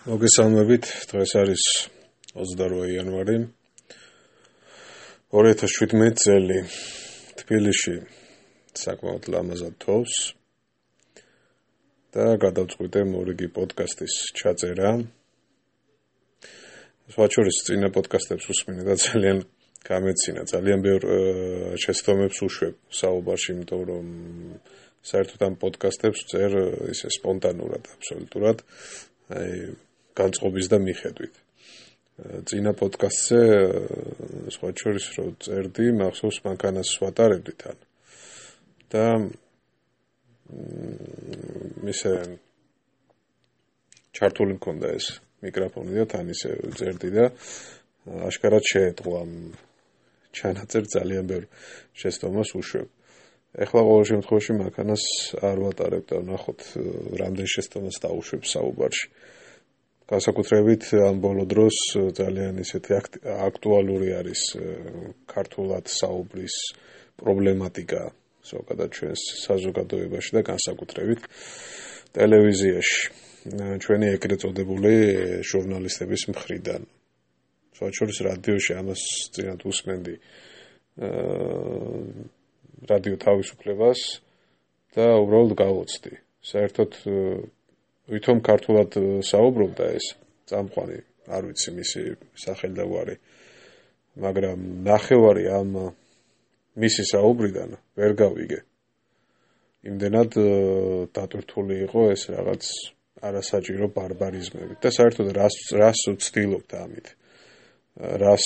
მოგესალმებით, დღეს არის 28 იანვარი 2017 წელი. თბილისში საკმაოდ ლამაზად თოვს და გადავწყვიტე მორიგი პოდკასტის ჩაწერა. სხვაჩორის წინა პოდკასტებს უსმინე და ძალიან გამეცინა, ძალიან ბევრ შეცდომებს უშვებ საუბარში, იმიტომ რომ საერთოდ ამ პოდკასტებს წერ ისე სპონტანურად, აბსოლუტურად, განწყობის და მიხედვით. წინა პოდკასტზე სხვაჩორის რო წერდი, მახსოვს მანქანას ვატარებდი თან. და ისე ჩართული მქონდა ეს მიკროფონი და თან ისე წერდი და აშკარად შეეწყო ამ ჩანაწერ ძალიან ბევრ შეცდომას უშვებ. ეხლა ყოველ შემთხვევაში მანქანას არ ვატარებ და ნახოთ რამდენ შეცდომას დავუშვებ საუბარში. განსაკუთრებით ამ ბოლო დროს ძალიან ისეთი აქტუალური არის ქართულად საუბრის პრობლემატიკა ზოგადად ჩვენს საზოგადოებაში და განსაკუთრებით ტელევიზიაში. ჩვენი ეგრეთ წოდებული ჟურნალისტების მხრიდან. სხვაჩორის რადიოში ამას წინათ უსმენდი რადიო თავისუფლებას და უბრალოდ გავოცდი. საერთოდ ვითომ ქართულად საუბრობდა ეს წამყვანი, არ ვიცი მისი სახელდაგვარი, მაგრამ ნახევარი ამ მისი საუბრიდან ვერ გავიგე. იმდენად დატვირთული იყო ეს რაღაც არასაჭირო ბარბარიზმებით და საერთოდ რას ვცდილობთ ამით? რას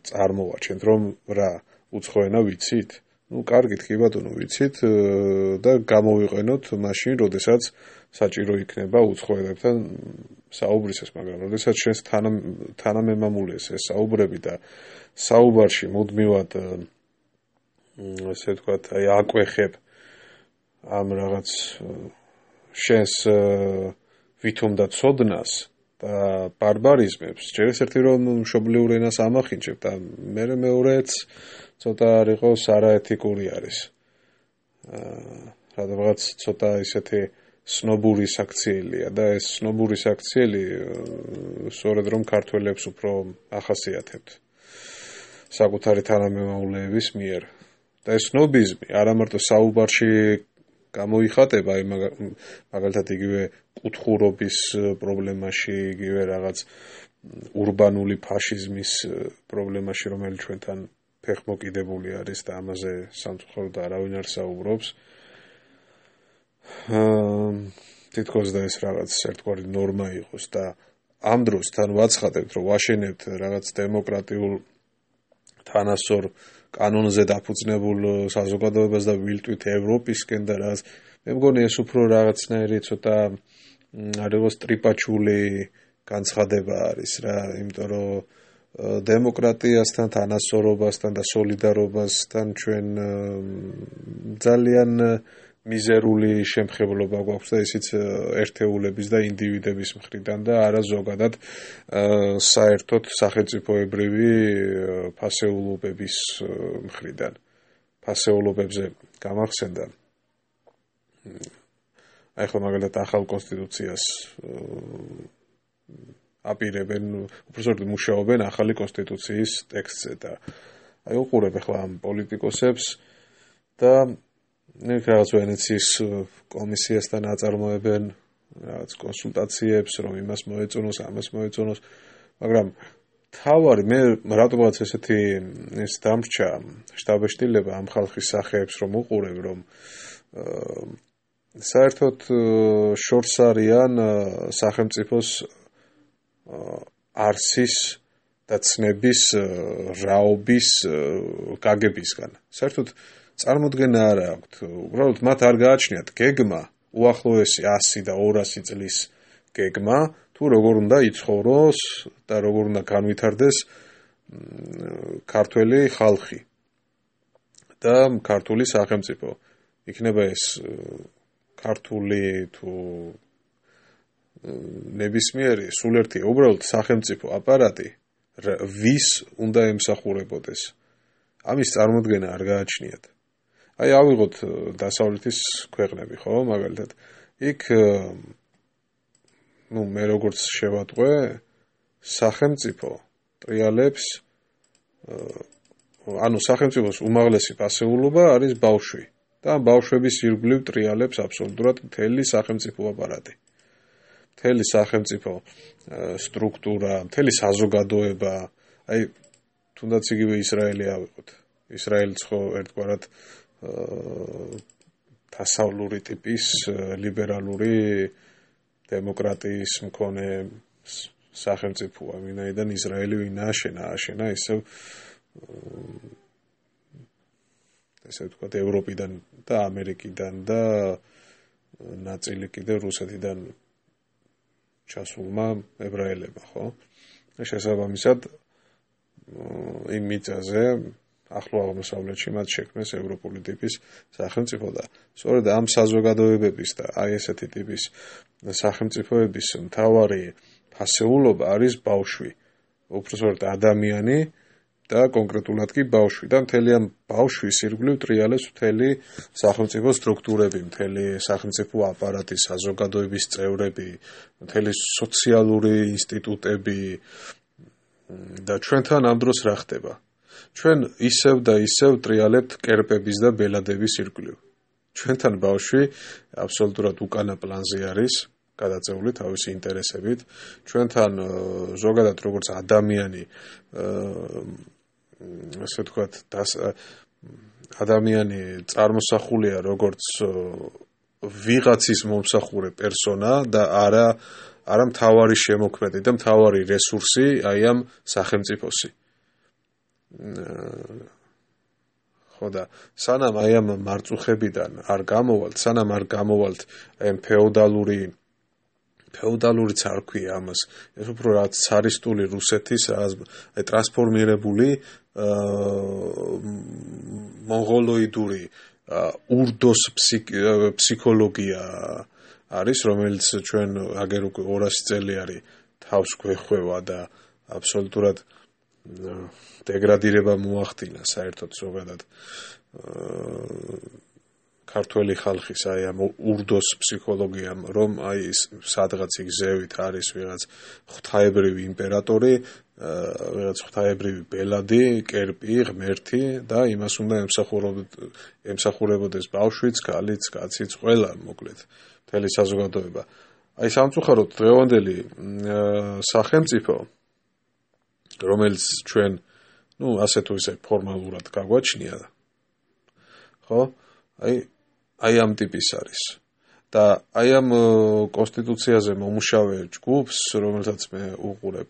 წარმოვაჩენთ, რომ რა უცხოენა ვიცით? კარგით, კი ბატონო, ვიცით და გამოვიყენოთ მაშინ, როდესაც საჭირო იქნება უცხოელებთან საუბრისას, მაგრამ როდესაც ჩვენს თანამემამულეს ეს საუბრები და საუბარში მუდმივად ასე ვთქვათ, აკვეხებ ამ რაღაც შენს ვითომ და ცოდნას და ბარბარიზმებს, ჯერ ერთი რომ მშობლიურ ენას ამახინჯებ და მეორეც ცოტა არ იყოს არაეთიკური არის. რაღაც ცოტა ისეთი სნობური საქციელია და ეს სნობური საქციელი სწორედ რომ ქართველებს უფრო ახასიათებთ საკუთარი თანამემამულეების მიერ. და ეს სნობიზმი არა მარტო საუბარში გამოიხატება, მაგალითად იგივე კუთხურობის პრობლემაში, იგივე რაღაც ურბანული ფაშიზმის პრობლემაში, რომელიც ჩვენთან ფეხმოკიდებული არის და ამაზე სამწუხაროდ არავინ არ საუბრობს. თითქოს და ეს რაღაც ერთგვარი ნორმა იყოს და ამ დროს თან ვაცხადებთ, რომ ვაშენებთ რაღაც დემოკრატიულ თანასწორ კანონზე დაფუძნებულ საზოგადოებას და ვილტვით ევროპისკენ და რაღაც. მე მგონი ეს უფრო რაღაცნაირი ცოტა არ იყოს ტრიპაჩული განცხადება არის რა, იმიტომ რომ დემოკრატიასთან, თანასწორობასთან და სოლიდარობასთან ჩვენ ძალიან მიზერული შემხებლობა გვაქვს და ისიც ერთეულების და ინდივიდების მხრიდან და არა ზოგადად საერთოდ სახელმწიფოებრივი ფასეულობების მხრიდან. ფასეულობებზე გამახსენდა. ახლა მაგალითად ახალ კონსტიტუციას აპირებენ, უბრალოდ მუშაობენ ახალი კონსტიტუციის ტექსტზე და უყურებ ახლა ამ პოლიტიკოსებს და რაღაც ვენეციის კომისიასთან აწარმოებენ რაღაც კონსულტაციებს, რომ იმას მოეწონოს, ამას მოეწონოს, მაგრამ თავარი მე რატომაც ესეთი ეს დამრჩა შტაბეშტილება ამ ხალხის სახეებს რომ უყურებ, რომ საერთოდ შორს არიან სახელმწიფოს არსის და ცნების რაობის გაგებისგან. საერთოდ წარმოდგენა არ აქვთ. უბრალოდ მათ არ გააჩნიათ გეგმა, უახლოესი 100 და 200 წლის გეგმა, თუ როგორ უნდა იცხოვროს და როგორ უნდა განვითარდეს ქართველი ხალხი და ქართული სახელმწიფო. იქნება ეს ქართული თუ ნებისმიერი სულ ერთი უბრალოდ სახელმწიფო აპარატი ვის უნდა ემსახურებოდეს. ამის წარმოდგენა არ გააჩნიათ. ავიღოთ დასავლეთის ქვეყნები, ხო, მაგალითად. იქ მე როგორც შევატყვე, სახელმწიფო ტრიალებს სახელმწიფოს უმაღლესი პასეულობა არის ბავშვი და ბავშვების ირგვლივ ტრიალებს აბსოლუტურად მთელი სახელმწიფო აპარატი. მთელი სახელმწიფო სტრუქტურა, მთელი საზოგადოება, თუნდაც იგივე ისრაელი ავიღოთ. ისრაელიც ხო ერთგვარად დასავლური ტიპის ლიბერალური დემოკრატიის მქონე სახელმწიფოა, ვინაიდან ისრაელი ვინა აშენა ისევ ესე ვთქვათ ევროპიდან და ამერიკიდან და ნაწილი კიდევ რუსეთიდან ჩასულმა ებრაელებმა, ხო? შესაბამისად იმ მიწაზე ახლო აღმოსავლეთში მათ შექმნეს ევროპული ტიპის სახელმწიფო და სწორედ ამ საზოგადოებების და ესეთი ტიპის სახელმწიფოების მთავარი ფასეულობა არის ბავშვი, უпростоრად ადამიანი და კონკრეტულად კი ბავშვი და მთელი ამ ბავშვის ირგვლივ ტრიალებს მთელი სახელმწიფო სტრუქტურები, მთელი სახელმწიფო აპარატი, საზოგადოების წევრები, მთელი სოციალური ინსტიტუტები და ჩვენთან ამ დროს რა ხდება? ჩვენ ისევ და ისევ ტრიალებთ კერპების და ბელადების ირგვლივ. ჩვენთან ბავშვი აბსოლუტურად უკანა პლანზე არის, გადაწეული თავისი ინტერესებით. ჩვენთან ზოგადად როგორც ადამიანი, ასე ვთქვათ, ადამიანი წარმოსახულია როგორც ვიღაცის მომსახურე პერსონა და არა მთავარი შემოქმედი და მთავარი რესურსი აი ამ სახელმწიფოსი. ხო და სანამ აი ამ მარწუხებიდან არ გამოვალთ, სანამ არ გამოვალთ აი ამ ფეოდალურიც არ ქვია ამას, ეს უფრო რაც ცარისტული რუსეთის აი ტრანსფორმირებული მონღოლოიდური ურდოს ფსიქოლოგია არის, რომელიც ჩვენ აგერ უკვე 200 წელი არის თავს გვეხვევა და აბსოლუტურად დეგრადირება მოახდინა საერთოდ ზოგადად ქართველი ხალხის აი ამ ურდოს ფსიქოლოგიამ, რომ აი სადღაც იქ ზევით არის ვიღაც ღვთაებრივი იმპერატორი, ვიღაც ღვთაებრივი ბელადი, კერპი, ღმერთი და იმას უნდა ემსახურებოდეს ბავშვიც, ქალიც, კაციც, ყველა მოკლედ მთელი საზოგადოება. აი სამწუხაროდ დღევანდელი სახელმწიფო, რომელიც ჩვენ ასე თუ ისე ფორმალურად გაგვაჩნია, ხო? აი ამ ტიპის არის. და აი ამ კონსტიტუციაზე მომუშავე ჯგუფს, რომელსაც მე უყურებ,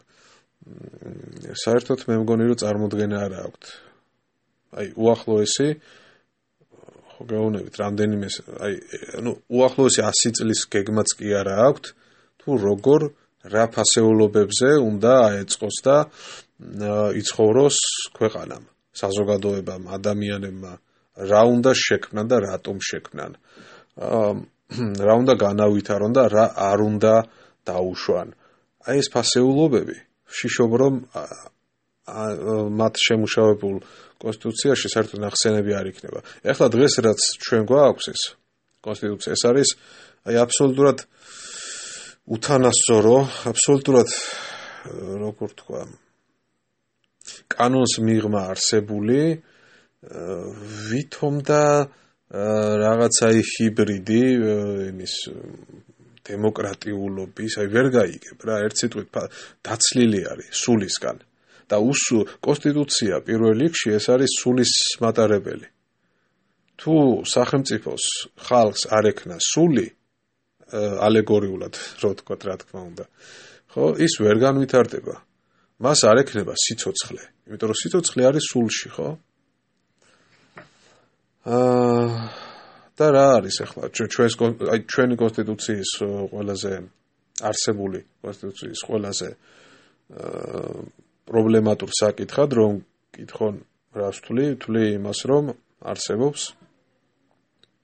საერთოდ მე მგონი რომ წარმოდგენა არ აქვთ. აი უახლოესი ხო გეუბნებით რამდენიმე უახლოესი 100 წლის გეგმაც კი არ აქვთ, თუ როგორ რა ფასეულობებზე უნდა აეწყოს და იცხოვროს ქვეყანამ, საზოგადოებამ, ადამიანებმა, რა უნდა შექმნან და რატომ შექმნან, რა უნდა განავითარონ და რა არ უნდა დაუშვან. აი ეს ფასეულობები ვშიშობ რომ მათ შემუშავებულ კონსტიტუციაში საერთოდ ნახსენები არ იქნება. ეხლა დღეს რაც ჩვენ გვაქვს ეს კონსტიტუცია, ეს არის აი აბსოლუტურად უთანასწორო, აბსოლუტურად როგორ თქვა, კანონს მიღმა არსებული ვითომ და რაღაცა ჰიბრიდი იმის დემოკრატიულობის, აი ვერ გაიგებ რა, ერთ სიტყვით დაცლილი არის სულისგან და კონსტიტუცია პირველ რიგში ეს არის სულის მატარებელი. თუ სახელმწიფოს ხალხს არ ექნა სული, ალეგორიულად რო ვთქვათ, რა თქმა უნდა, ხო, ის ვერ განვითარდება. მას არ ექნება სიცოცხლე, იმიტომ რომ სიცოცხლე არის სულში, ხო? და რა არის ახლა ჩვენი კონსტიტუციის ყველაზე არსებული კონსტიტუციის ყველაზე პრობლემატურ საკითხად რომ კითხონ რას ვთვლი იმას რომ არსებობს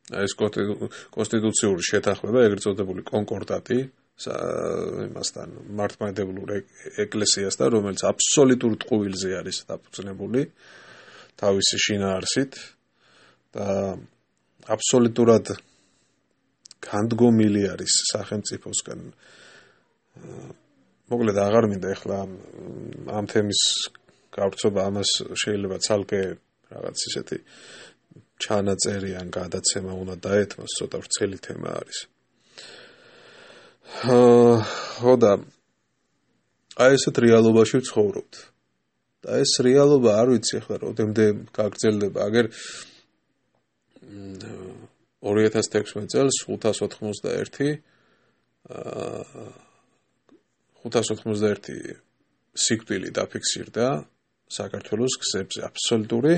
ეს კონსტიტუციური შეთანხმება, ეგრეთ წოდებული კონკორდატი იმასთან მართლმადიდებლურ ეკლესიასთან, რომელიც აბსოლუტურ ტყუილზე არის დაფუძნებული თავისი შინაარსით და აბსოლუტურად განდგომილი არის სახელმწიფოსგან მოკლედ აღარ მინდა ეხლა ამ თემის გავრცობა, ამას შეიძლება ცალკე რაღაც ისეთი ჩანაწერი ან გადაცემა უნდა დაეთმოს, ცოტა ვრცელი თემა არის. ხო და აი ესეთ რეალობაში ვცხოვრობთ. და ეს რეალობა არ ვიცი ახლა როდემდე გაგრძელდება. აგერ 2016 წელს 591 სიკვდილი დაფიქსირდა საქართველოს გზებზე, აბსოლუტური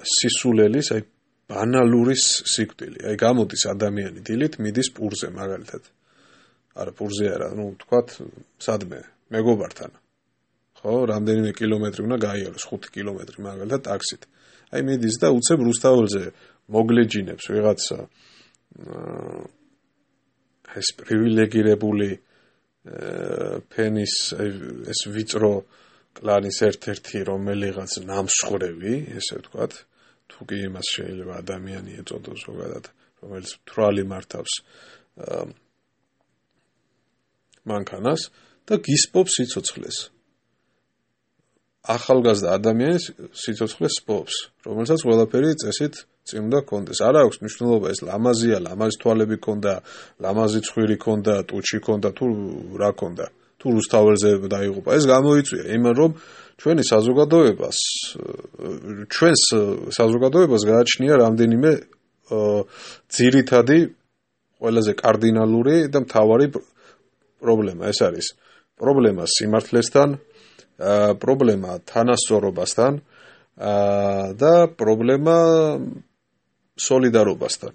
სისულელის, აი ბანალური სიკვდილი. აი გამოდის ადამიანი დილით, მიდის პურზე მაგალითად. არა პურზე არა, თქვათ სადმე მეგობართან. ხო, რამდენიმე კილომეტრი უნდა გაიაროს, 5 კილომეტრი მაგალითად ტაქსით. აი მიდის და უცებ რუსთაველზე მოგლეჯინებს ვიღაცა ეს პრივილეგირებული ფენის ეს ვიწრო კლანის ერთ-ერთი რომელიღაც ნამსხვრევი, ესე ვთქვათ, თუ კი იმას შეიძლება ადამიანი ეწოდოს ზოგადად, რომელიც თვალი მართავს მანქანას და გისპობს სიცოცხლეს. ახალგაზრდა ადამიანის სიცოცხლეს სპობს, რომელსაც ყველაფერი წესით წინ უნდა კონდეს. არ აქვს მნიშვნელობა ეს ლამაზია, ლამაზი თვალები ქონდა, ლამაზი ცხვირი ქონდა, ტუჩი ქონდა, თუ რა ქონდა, თუ რუსთაველზე დაიღუპა. ეს გამოიწვია იმან, რომ ჩვენს საზოგადოებას გააჩნია რამდენიმე ძირითადი, ყველაზე კარდინალური და მთავარი პრობლემა. ეს არის პრობლემა სიმართლესთან, პრობლემა თანასწორობასთან და პრობლემა სოლიდარობასთან.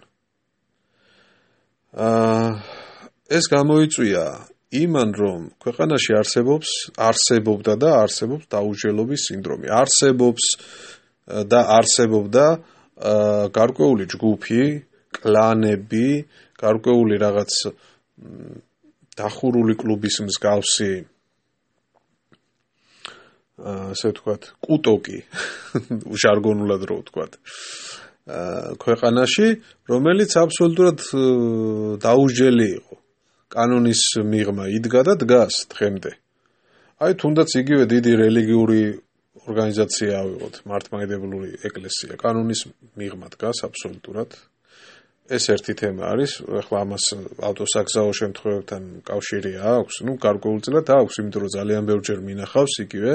ეს გამოიწვია იმან, რომ ქვეყანაში არსებობდა და არსებობს დაუჯელობის სინდრომი. არსებობს და არსებობდა გარკვეული ჯგუფი, კლანები, გარკვეული რაღაც დახურული კლუბის მსგავსი ასე ვთქვათ, კუტოკი, ჟარგონულად რო ვთქვათ, ქვეყანაში, რომელიც აბსოლუტურად დაუჯელი იყო. კანონის მიღმა იდგა და დგას დღემდე. აი თუნდაც იგივე დიდი რელიგიური ორგანიზაცია ავიღოთ, მართლმადიდებლური ეკლესია, კანონის მიღმა დგას აბსოლუტურად. ეს ერთი თემა არის, ახლა ამას ავტოსაგზაო შემთხვევებთან კავშირი აქვს, გარკვეულწილად აქვს, იმიტომ რომ ძალიან ბევრჯერ მინახავს იგივე,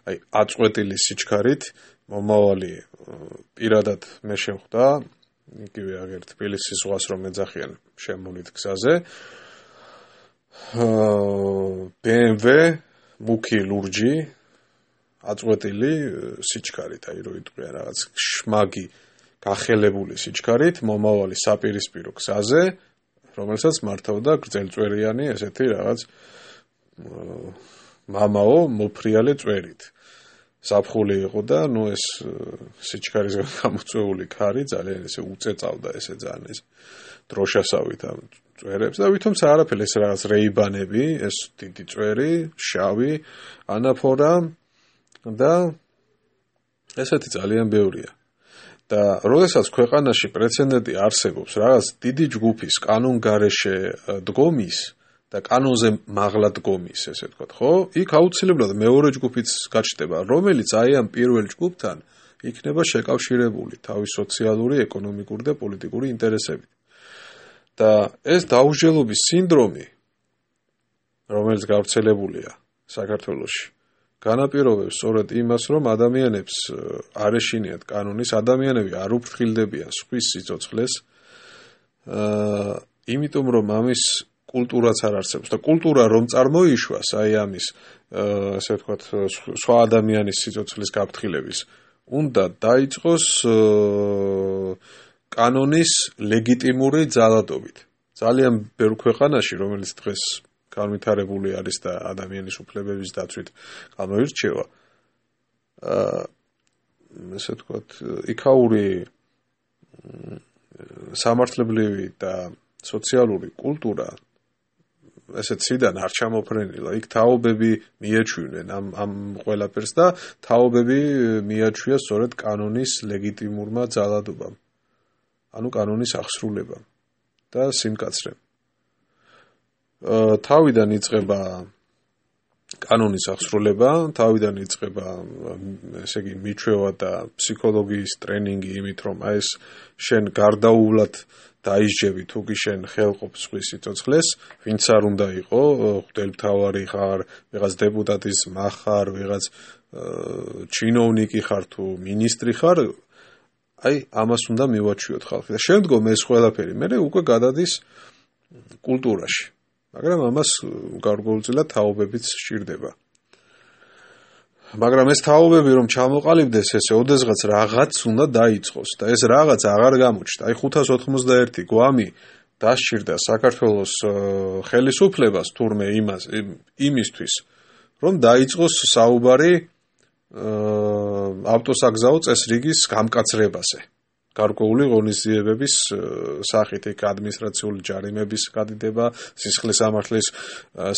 აი აწყვეტილი სიჩქარით, მომავალი პირადად მე შემხვდა, იგივე აგერ თბილისის ზღვას რომ ეძახიან შემოვლით გზაზე. BMW მუქი ლურჯი აწყვეტილი სიჩქარით, აი რო იტყვიან რაღაც შმაგი გახელებული სიჩქარით, მომავალი საპირისპირო გზაზე, რომელსაც მართავდა გრძელწვერიანი ესეთი რაღაც მამაო მოფრიალე წვერით. საფხული იყო და ეს სიჩქარისგან გამოწვეული ქარი ძალიან ესე უწეწავდა ესე ძალიან ეს დროშასავით ამ წვერებს და ვითომცა არაფერი ეს რაღაც რეიბანები, ეს დიდი წვერი, შავი ანაფორა და ესეთი ძალიან ბევრია. და როდესაც ქვეყანაში პრეცედენტი არსებობს რაღაც დიდი ჯგუფის კანონგარეშე დგომის და კანონზე მაღლა დგომის, ესე ვთქვათ, ხო? იქ აუცილებლად მეორე ჯგუფიც გაჩნდება, რომელიც აი ამ პირველ ჯგუფთან იქნება შეკავშირებული თავის სოციალური, ეკონომიკური და პოლიტიკური ინტერესებით. და ეს დაუჯელობის სინდრომი, რომელიც გავრცელებულია საქართველოში, განაპირობებს სწორედ იმას, რომ ადამიანებს არ ეშინიათ კანონის, ადამიანები არ უფრთხილდებიან სხვის სიცოცხლეს, იმიტომ რომ ამის კულტურაც არ არსებობს და კულტურა რომ წარმოიშვას, აი ამის, ასე ვთქვათ, სხვა ადამიანის სიცოცხლის გაფრთხილების, უნდა დაიწყოს კანონის ლეგიტიმური ძალადობით. ძალიან ბევრ ქვეყანაში, რომელიც დღეს განვითარებული არის და ადამიანის უფლებების დაცვით გამოირჩევა, ესე ვთქვათ, იქაური სამართლებრივი და სოციალური კულტურა ესეც სიდან არ ჩამოფრენილა. იქ თაობები მიეჩვინენ ამ ყველაფერს და თაობები მიაჩვია სწორედ კანონის ლეგიტიმურმა ძალადობამ. ანუ კანონის აღსრულებამ და სიმკაცრემ. თავიდან იწყება კანონის აღსრულება, თავიდან იწყება, ესე იგი, მიჩვევა და ფსიქოლოგიის ტრენინგი იმით, რომ აი ეს შენ გარდაუვლად დაისჯები თუ კი შენ ხელყოფს სხვის სიცოცხლეს, ვინც არ უნდა იყო, ღვთელმთავარი ხარ, ვიღაც დეპუტატის ხარ, ვიღაც ჩინოვნიკი ხარ თუ მინისტრი ხარ, აი ამას უნდა მივაჩვიოთ ხალხი და შემდგომ ეს ყველაფერი მე უკვე გადადის კულტურაში. მაგრამ ამას გარკვეულწილად თაობებიც სჭირდება. მაგრამ ეს თაობები რომ ჩამოყალიბდეს, ესე ოდესღაც რაღაც უნდა დაიწყოს და ეს რაღაც აღარ გამოჩნდა. აი 591 გვამი დასჭირდა საქართველოს ხელისუფლებას თურმე იმისთვის, რომ დაიწყოს საუბარი ავტოსაგზაო წესრიგის გამკაცრებაზე. გარკვეული ღონისძიებების სახით იქ ადმინისტრაციული ჯარიმების გადიდება, სისხლის სამართლის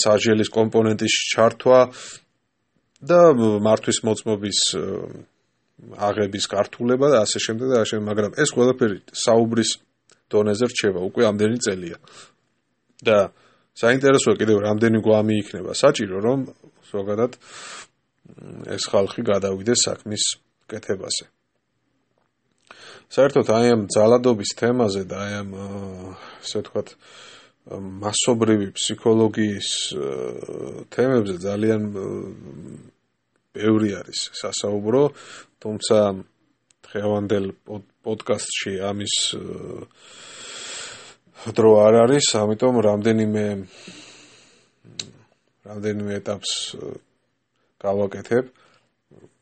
სასჯელის კომპონენტის ჩართვა და მართვის მოწმობის აღების გართულება და ასე შემდეგ და ასე შემდეგ, მაგრამ ეს ყველაფერი საუბრის დონეზე რჩება უკვე ამდენი წელია. და საინტერესოა კიდევ რამდენი გვამი იქნება საჭირო, რომ ზოგადად ეს ხალხი გადავიდეს საქმის კეთებაზე. საერთოდ აი ამ ძალადობის თემაზე და აი ამ ასე ვთქვათ მასობრივი ფსიქოლოგიის თემებზე ძალიან ბევრი არის სასაუბრო, თუმცა დღევანდელ პოდკასტში ამის დრო არ არის, ამიტომ რამდენიმე ეტაპს გავაკეთებ,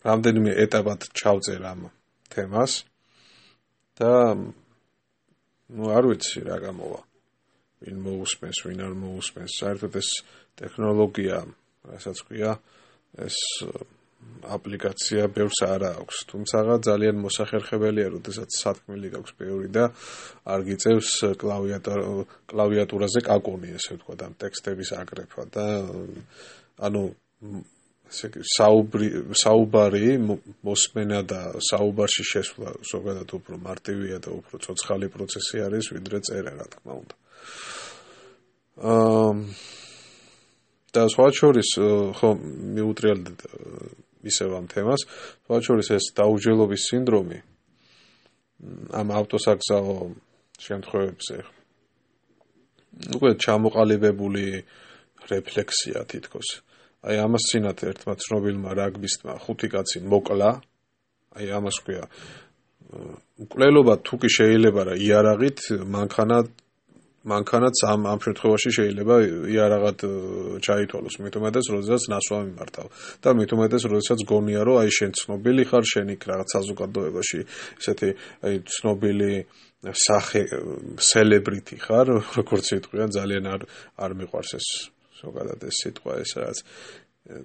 რამდენიმე ეტაპად ჩავწერ ამ თემას. და არ ვიცი რა გამოვა. ვინ მოусმენს, ვინ არ მოусმენს. საერთოდ ეს ტექნოლოგია, რასაც ქვია, ეს აპლიკაცია ბევრს არ აქვს. თუმცა ძალიან მოსახერხებელია, როდესაც სათქმელი გაქვს ბევრი და არ გიწევს კლავიატურაზე კაკუნი, ესე ვთქვათ, ამ ტექსტების აკრეფვა და ანუ საუბარი მოსმენა და საუბარში შესვლა ზოგადად უფრო მარტივია და უფრო ცოცხალი პროცესი არის, ვიდრე წერა, რა თქმა უნდა. და სხვა შორის ხო მიუტრიალდეთ ისევ ამ თემას, სხვა შორის ეს დაუჯელობის სინდრომი ამ ავტოსაგზაო შემთხვევებზე უკვე ჩამოყალიბებული რეფლექსია თითქოს. აი ამას წინათ ერთმა ცნობილმა რაგბისტმა 5 კაცი მოკლა, აი ამას ქვია მკვლელობა თუ კი შეიძლება რა იარაღით მანქანაც ამ შემთხვევაში შეიძლება იარაღად ჩაითვალოს, მით უმეტეს როდესაც ნასვა მიმართავ და მით უმეტეს როდესაც გონია რომ აი შენ ცნობილი ხარ, შენ იქ რაღაც საზოგადოებაში ესეთი აი ცნობილი სახე celebrity ხარ, როგორც იტყვია, ძალიან არ მიყვარს ეს ზოგადად ეს სიტყვა ეს რაც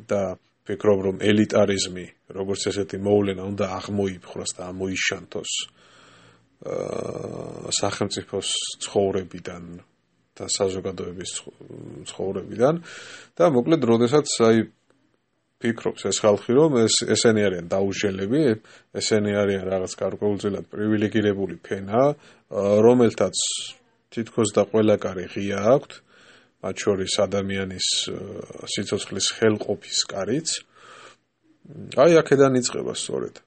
და ვფიქრობ რომ ელიტარიზმი როგორც ესეთი მოვლენა უნდა აღმოიფხვრას და ამოიშანთოს სახელმწიფოს ცხოვრებიდან და საზოგადოების ცხოვრებიდან და მოკლედ როდესაც აი ფიქრობს ეს ხალხი რომ ესენი არიან დაუჟელები, ესენი არიან რაღაც გარკვეულწილად პრივილეგირებული ფენა, რომელთაც თითქოს და ყველა კარი ღია აქვთ, მათ შორის ადამიანის სიცოცხლის ხელყოფის კარიც. აი აქედან იწყება სწორედ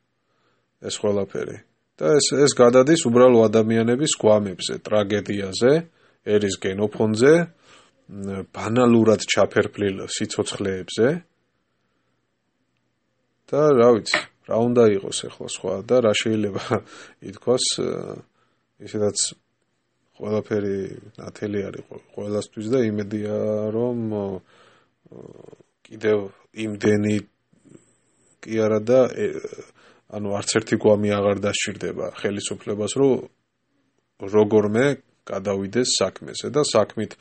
ეს ყველაფერი. და ეს გადადის უბრალო ადამიანების გვამებზე, ტრაგედიაზე, ერის გენოფონზე, ბანალურად ჩაფერფლილ სიცოცხლეებზე. და რა ვიცი, რა უნდა იყოს ახლა სხვა და რა შეიძლება ითქვას, ისედაც ყველაფერი ნათელი არის ყველასთვის და იმედია რომ კიდევ იმდენი კი არა და ანუ არც ერთი გვამი აღარ დასჭირდება ხელისუფლებას, რომ როგორმე გადავიდეს საქმეზე და საქმით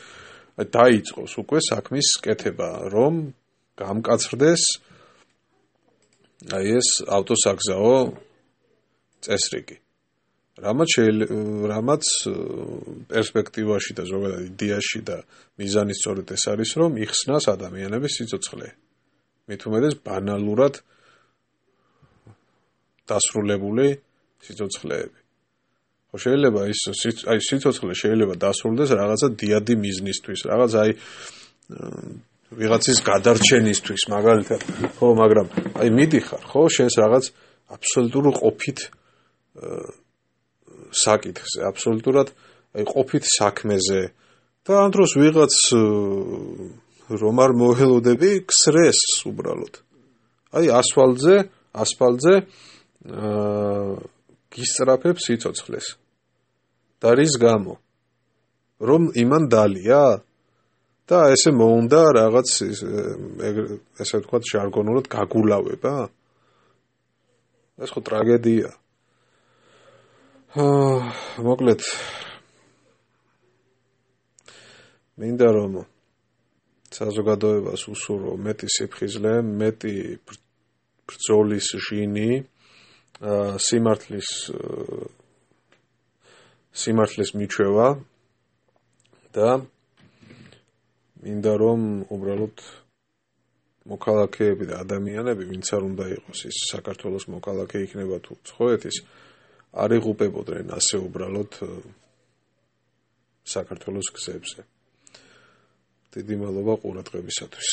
დაიწყოს უკვე საქმის კეთება, რომ გამკაცრდეს აი ეს ავტოსაგზაო წესრიგი. რამაც პერსპექტივაში და ზოგადად იდეაში და მიზანი სწორედ ეს არის, რომ იხსნას ადამიანების სიცოცხლე. მით უმეტეს ბანალურად დასრულებული სიცოცხლეები. ხო შეიძლება ის სიცოცხლე შეიძლება დასრულდეს რაღაცა დიადი მიზნისთვის, რაღაც აი ვიღაცის გადარჩენისთვის მაგალითად ხო მაგრამ აი მიდიხარ ხო შენს რაღაც აბსოლუტურ ყოფით საკითხზე აბსოლუტურად აი ყოფით საქმეზე და ამ დროს ვიღაც რომ არ მოველოდები ქსრეს უბრალოდ აი ასფალტზე გისწრაფებს სიცოცხლეს და რის გამო რომ იმან დალია და ესე მოუნდა რაღაც ესე ვთქვათ ჟარგონულად გაგულავება ეს ხო ტრაგედია მოკლედ მინდა რომ საზოგადოებას უსურვო მეტი სიფხიზლე მეტი ბრძოლის ჟინი სიმართლის მიჩვევა და მინდა რომ უბრალოდ მოქალაქეები და ადამიანები ვინც არ უნდა იყოს ის საქართველოს მოქალაქე იქნება თუ ცხოვეთის არ იღუპებოდნენ ასე უბრალოდ საქართველოს გზებზე დიდი მადლობა ყურადღებისათვის